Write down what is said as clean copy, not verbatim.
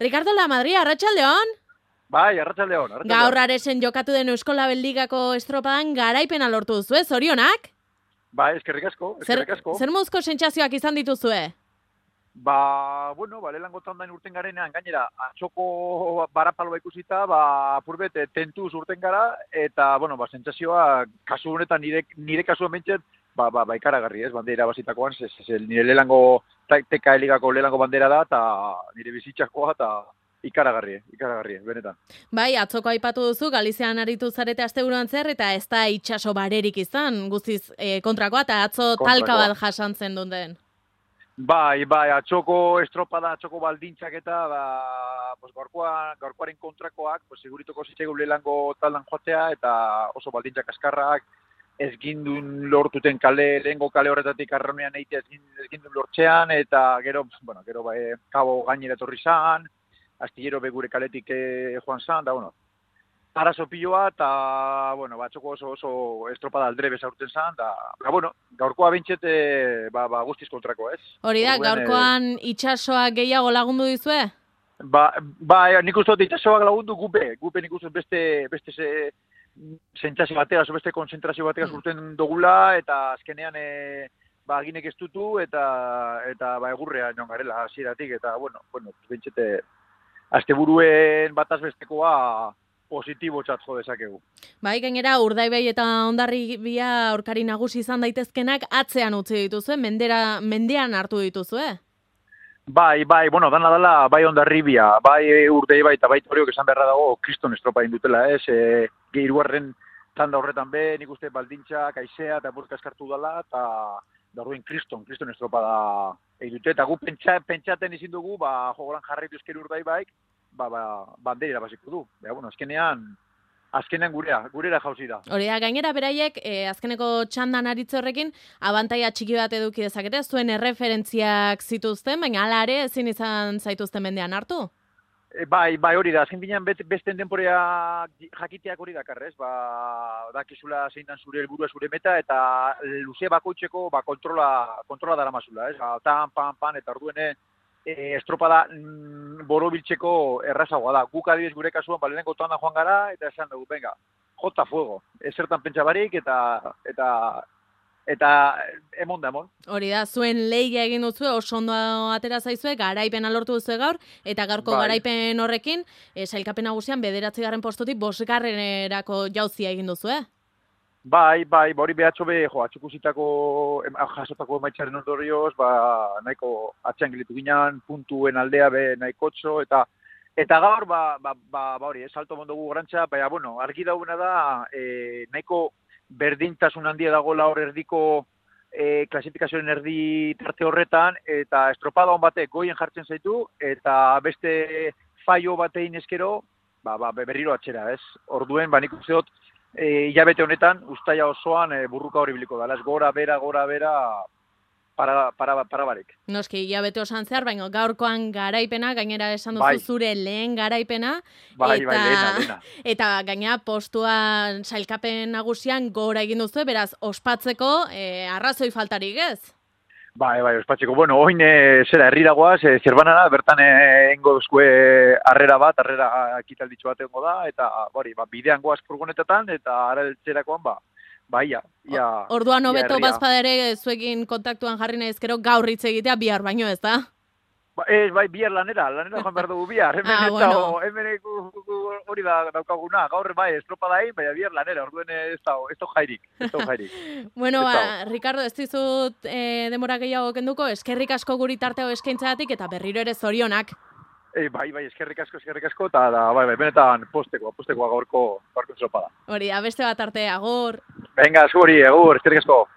Ricardo Lamadrid, arratsaldeon. Bai, arratsaldeon. Gaur Aresen jokatu den Euskolabel Ligako estropadan garaipena lortu duzu, zorionak? Bai, eskerrik asko. Zer mozko sentsazioak izan dituzue? Lehenengo tandain urten garenean, gainera, atxoko barapaloa ikusita, apurbet, tentuz urten gara, eta, sentsazioa, kasu honetan, nire kasuan bentsat, ikaragarri, ez, bandera bazitakoan, nire lehenengo TK Ligako lehenengo bandera da, eta nire bizitzakoa, eta ikaragarri, benetan. Bai, atzoko aipatu duzu, Galizian aritu zarete asteburuan zer, eta ez da itxaso barerik izan, guztiz kontrakoa, eta atzo talka bat jasantzen duten. Bai, atxoko estropada, atxoko baldintzak eta gaurkoaren kontrakoak, segurituko zitzaigu lehenengo taldan joatea, eta oso baldintzak askarrak, ez gindun lortuten lehenengo kale horretatik arraunean egitea ez gindun lortzean, eta gero kabo gainera etorri zan, astillero begure kaletik joan zan, da, arazo piloa, eta, atxoko oso estropada aldrebe zaurten zan, da, gaurkoa bintxet, guztiz kontrako, ez? Hori da, gaurkoan itxasoak gehiago lagundu dizue? Nik uste dut itxasoak lagundu gupe nik uste beste sentsazio bateaz, beste konzentrazio bateaz urten dugula, eta azkenean, ginek ez dutu, eta egurrea joan garela hasieratik, eta, bintxete, asteburuen bataz bestekoa positibo txatzo dezakegu. Bai, gainera, Urdaibai eta Hondarribia aurkari nagusi izan daitezkenak atzean utzi dituzue, mendean hartu dituzue? Bai, dana dela, bai Hondarribia, bai Urdaibai eta bai Toriok esan beharra dago kriston estropa indutela, ez? Hirugarren tanda horretan nik uste baldintzak, aizea eta burka eskartu dela, eta orduen kriston estropa da edute, eta gu pentsaten izin dugu, jogolan jarraitu ezker Urdaibaik, bandera irabaziko du. Azkenean gurera jauzi da. Hori da, gainera beraiek, azkeneko txandan aritze horrekin, abantaia txiki bat eduki dezakete, zuen erreferentziak zituzten, baina hala ere ezin izan zaituzten mendean hartu? Bai, hori da, azken binean besten denporea jakiteak hori dakarrez, dakizula zein dan zure helburua zure meta, eta luze bakoitzeko kontrola daramazula, ez? Pan, eta orduene, estropada borobiltzeko errazagoa da. Guk adibidez gure kasuan lehenengo tanda joan gara, eta esan dugu, venga, jota fuego. Ezertan pentsa barik, eta emon da emon. Hori da, zuen lehia egin duzu, oso ondo atera zaizue, garaipena lortu duzu gaur, eta gaurko garaipen horrekin, sailkapen nagusian 9. postutik 5. jauzia egin duzu, Bai, hori behatxo atxukusitako jasotako emaitzaren ondorioz, nahiko atxean gilitu ginen, puntuen aldea nahikotxo, eta gaur, hori, salto mondogu gorantza, argi dauna da, nahiko berdintasun handia dagoela hor erdiko klasifikazioen erdi tarte horretan, eta estropada hon batek goien jartzen zaitu, eta beste faio batein eskero, berriro atxera, ez? Orduen, nik uste dut, hilabete honetan, ustaia osoan burruka hori biliko da. Gora, bera, para barek. Noski, hilabete osan zehar, baina gaurkoan garaipena, gainera esan duzu zure lehen garaipena. Lehena. Eta gainera postuan sailkapen nagusian gora egin duzu, beraz, ospatzeko arrazoi faltarik ez? Bai, ospatzeko. Oin herriragoaz, zerbanara, bertan engo duzkue arrera ekitalditxo bat engo da, eta bidean goaz furgonetetan, eta araltzerakoan, ia. Orduan hobeto bazpadere zuekin kontaktuan jarri nahi ezkero gaur hitz egitea bihar baino ez da? Bihar lanera joan behar dugu bihar. Hemen hori da daukaguna. Gaur estropada egin, baina bihar lanera, orduen ez da jairik. Ricardo, ez dizut demora gehiago kenduko, eskerrik asko guri tarteo eskaintzagatik eta berriro ere zorionak. Eskerrik asko, eta benetan postekoa gaurko estropada. Hori, beste bat arte, agur. Venga, zuri, agur, eskerrik asko.